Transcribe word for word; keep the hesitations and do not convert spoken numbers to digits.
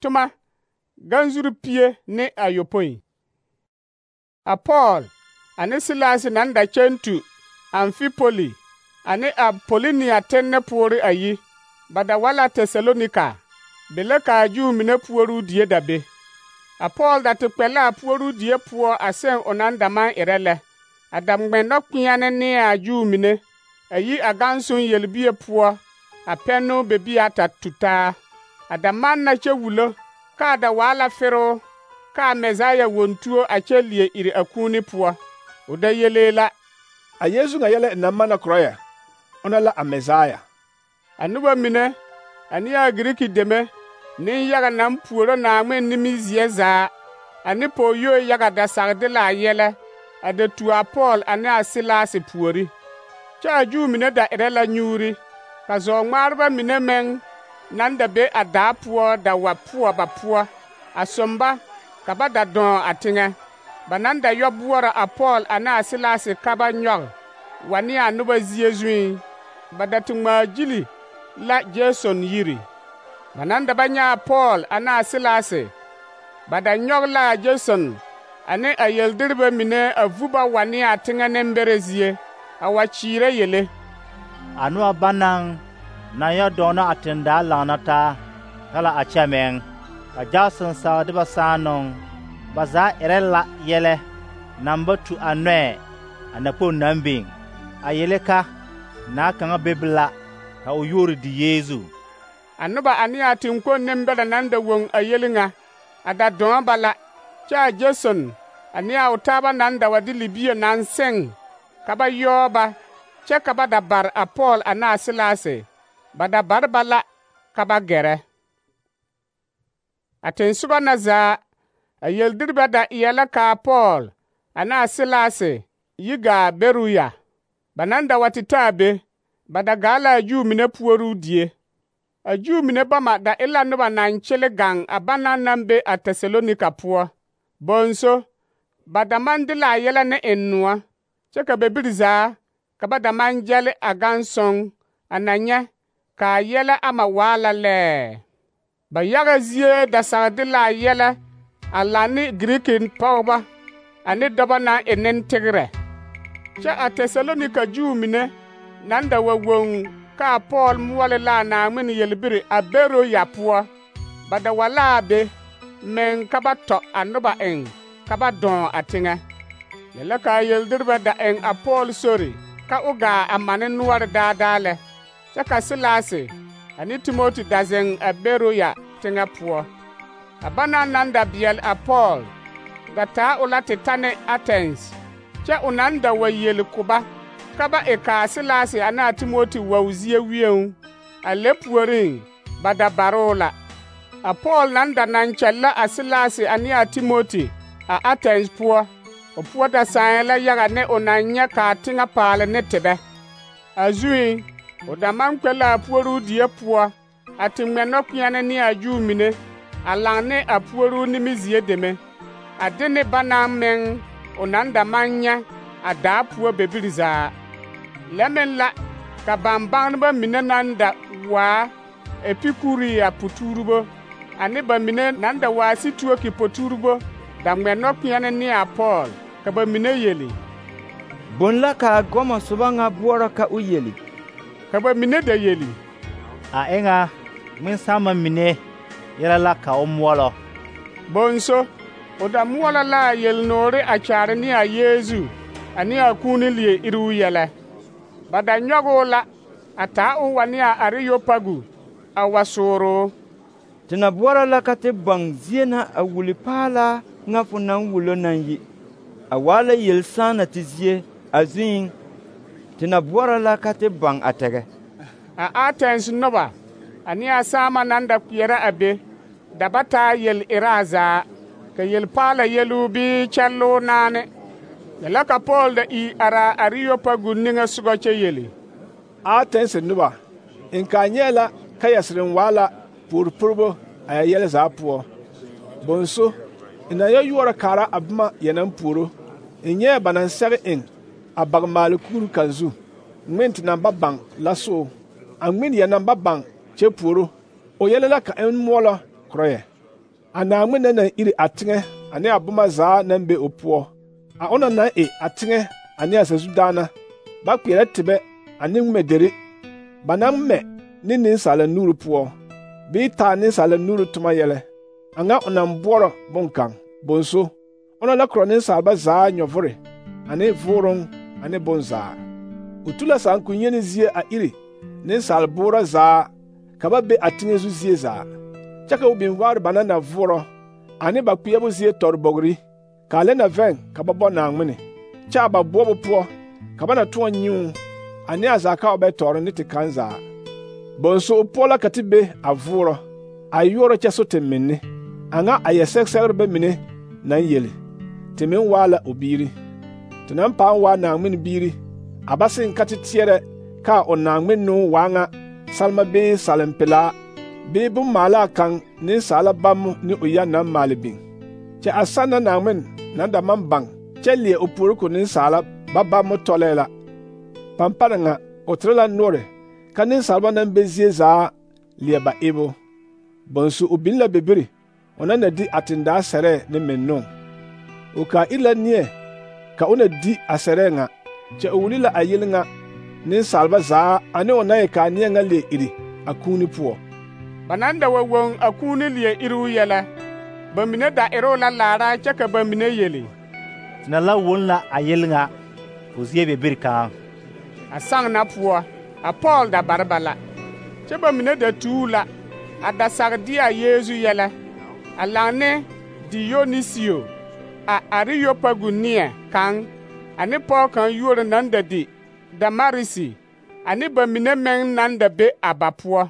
Tuma ganzuri pie ne ayopoi. A Paul ane Silas nan da kyɛntu Amfipoli ane Apolonia tenne puori ayi, ba da wala Tesalonika, be la ka a Juu mine puoruu die da be. A Paul da te kpɛ la a puoruu die poɔ a seŋ o naŋ da maŋ erɛ lɛ, a da ŋmɛnnɔ kpeɛne ne a Juu mine, a yi a gansoŋ yelbie poɔ, a pɛnnoo bebi ata tutaa, a da manna kyɛ wulo, ka a da waa la feroo, ka a Mesaya wontuo a kyɛ lie iri a kuuni poɔ. O da yelee la, a Yesu ŋa yɛlɛ naŋ manna korɔ yɛ, ona la a Mesaya. A noba mine, ane a Giriki deme, nenyaga naŋ puoro Naaŋmen nimizeɛ zaa, ane pɔgɔyoe yaga da sage de la a yɛlɛ, a da tuo a Paul ane a Silas puori. Kyɛ a Juu mine da erɛ la nyuuri, ka zɔɔ-ŋmaareba mine meŋ naŋ da be a daa poɔ da wa poɔ ba poɔ, a somba ka ba da dɔɔ a teŋɛ. Ba naŋ da yɔ boɔrɔ a Paul ane a Silas ka ba nyɔge wa ne a noba zie zuiŋ, ba da te ŋmaa gyili la Jason yiri. Ba naŋ da ba nyɛ a Paul ane a Silas, ba da nyɔge la a Jason ane a yeldireba mine a vu ba wa ne a teŋɛ nembɛrɛ zie, a wa kyeerɛ yele. A noba banaŋ naŋ yɔ dɔɔnɔ a tendaa laŋna taa ka la a kyɛ meŋ. A Jason sage de ba saanoŋ, ba zaa erɛ la yɛlɛ naŋ ba tu a nɔɛ a nakpoŋ naŋ biŋ, a yele ka naa kaŋa bebe la ka o yuori di Yeezu. A noba ane a teŋkpoŋ nembɛrɛ naŋ da woŋ a yeli ŋa, a da dɔɔ ba la, kyɛ a Jason ane a o taaba naŋ da wa de libie naŋ seŋ ka ba yɔɔ ba, kyɛ ka ba da bare a Paul ane a Silas, ba da bare ba la ka ba gɛrɛ. A tensoba na zaa, a yeldireba da eɛ la ka a Paul ane a Silas yi gaa Beruya. Ba naŋ da wa te taa be, ba da gaa la a Juu mine puoruu die. A Juu mine bama da e la noba naŋ kyele gaŋ a banaŋ naŋ be a Tesalonika poɔ. Bonso, ba da maŋ de la a yɛlɛ ne ennoɔ, kyɛ ka bebiri zaa ka ba da maŋ gyɛle a gansoŋ a na nyɛ ka a yɛlɛ ama waa la lɛɛ. Ba yaga zie da sage de la a yɛlɛ a laŋ ne Giriki pɔgeba ane dɔbɔ naŋ e nentegerɛ. Kyɛ a Tesalonika Juu mine naŋ da wa woŋ ka a Paul moɔle la a Naaŋmen yelbiri a Beroya poɔ, ba da wa la a be meŋ ka ba tɔ a noba eŋ ka ba dɔɔ a teŋɛ. Lɛ la ka a yeldireba da eŋ a Paul sori ka o gaa a mane noɔre daadaa lɛ, kyɛ ka Silas ane Timoti da zeŋ a Beroya teŋɛ poɔ. A banaŋ naŋ da beɛle a Paul da taa o la te ta ne Atens, kyɛ o naŋ da wa yeli ko ba ka ba e ka a Silas ane a Timoti wao zie wieŋ. A lɛ puoriŋ, ba da baroo la. A Paul naŋ da naŋ kyɛllɛ a Silas ane a Timoti a Atens poɔ, o poɔ da sãɛ la yaga ne o naŋ nyɛ ka a teŋɛ paale ne tebɛ. A zuiŋ, o da maŋ kpɛ la a puoruu die poɔ a te ŋmɛnnɔ kpeɛne ne a Juu mine, a laŋ ne a puoruu nimizie deme, a de ne banaŋ meŋ o naŋ da maŋ nyɛ a daa poɔ bebiri zaa. Lɛ meŋ la ka bambagneba mine naŋ da waa Epikuria potuuribo ane ba mine naŋ da waa Situoki potuuribo da ŋmɛnnɔ kpeɛne ne a Paul, ka ba mine yeli, bon la ka a gɔmɔ soba ŋa boɔrɔ ka o yeli. Ka ba mine da yeli, a eŋa ŋmensãama mine yɛlɛ la ka o moɔlɔ. Bonso, o da moɔlɔ la a yelnoore a kyaare ne a Yeezu ane a kuuni lie iruu yɛlɛ. Ba da nyɔge o la a taa o wa ne a Areyopagu a wa sooroo. Te na boɔrɔ la ka te baŋ zie na a wuli paalaa ŋa fo naŋ wulo naŋ yi. A waa la yel-sãana te zie a zuiŋ, te na boɔrɔ la ka te baŋ a tɛgɛ. A Atens noba ane a saama naŋ da kpeɛrɛ a be da ba taa yel-eraa zaa, ka yel-paala yeluu bii kyɛlloo naane. Lɛ la ka Paul da ii are a Areyopagu niŋe sogɔ kyɛ yeli, Atens noba, n kaa nyɛɛ la ka yɛsereŋ waa la puori poribo a yɛ yɛlɛ zaa poɔ. Bonso, n na yɛ yoɔrɔ kaara a boma yɛ naŋ puoro, n nyɛɛ ba naŋ sɛge eŋ a bagmaale kuuru kaŋ zu, ŋmen te naŋ ba baŋ la soo, a ŋmen yɛ naŋ ba baŋ kyɛ puoro, o yɛlɛ la ka n moɔlɔ korɔ yɛ. A Naŋmen na naŋ iri a teŋɛ ane a boma zaa naŋ be o poɔ, a ona naŋ e a teŋɛ ane a sazu daana, ba kpeɛrɛ tebɛ ane ŋmɛderi, ba naŋ mɛ ne nensaala nuuri poɔ, bii taa nensaala nuuri toma yɛlɛ, a ŋa o naŋ boɔrɔ boŋkaŋ. Bonso, ona la korɔ nensaalba zaa nyɔvore ane vooroŋ ane bonzaa. O tu la saankun-yeni zie a iri nensaal-boorɔ zaa ka ba be a teŋɛ zu zie zaa, kyɛ ka o biŋ vaare ba naŋ na voɔrɔ ane ba kpeɛbo zie tɔrebɔgri, ka a lɛ na vɛŋ ka ba bɔ Naŋmene, kyɛ a ba boɔbo poɔ ka ba na tõɔ nyuu ane a zaa ka o bɛ tɔɔre ne te kaŋ zaa. Bonso o poɔ la ka te be a voɔrɔ, a yoɔrɔ kyɛ so te menne, a ŋa a yɛ sɛgsɛgrebɛ mine naŋ yeli. Te meŋ waa la o biiri. Te naŋ paaŋ waa Naŋmen biiri, a ba seŋ ka te teɛrɛ ka o Naŋmennoo waa ŋa salema bee salempelaa bee bommaalaa kaŋ nensaala bammo ne o yɛ naŋ maale biŋ. Kyɛ a sanna Naŋmen naŋ da maŋ baŋ kyɛ leɛ o puori ko nensaala ba bammo tɔlɛɛ la. Pampana ŋa o tere la noɔre ka nensaalba naŋ be zie zaa leɛ ba ebo. Bonso o biŋ la bebiri o naŋ na di a tendaa sɛrɛɛ ne mennoo. O kaa iri la neɛ ka o na di a sɛrɛɛ ŋa, kyɛ o wuli la a yele ŋa nensaalba zaa ane o naŋ e kaa neɛ ŋa leɛ iri a kuuni poɔ. Ba naŋ da wa woŋ a kuuni leɛ iriu yɛlɛ, ba mine da eroo la laara kyɛ ka ba mine yeli: Te na la woŋ la a yele ŋa fo zie bebiri kaŋ. A saŋ na poɔ, a Pɔɔl da bare ba la, kyɛ ba mine da tuu la a da sage de a Yeezu yɛlɛ, a laŋ ne Diyonisio, a Ariyopagu neɛ kaŋ, ane pɔge kaŋ yuori naŋ da di Damarisi, ane ba mine meŋ naŋ da be a ba poɔ.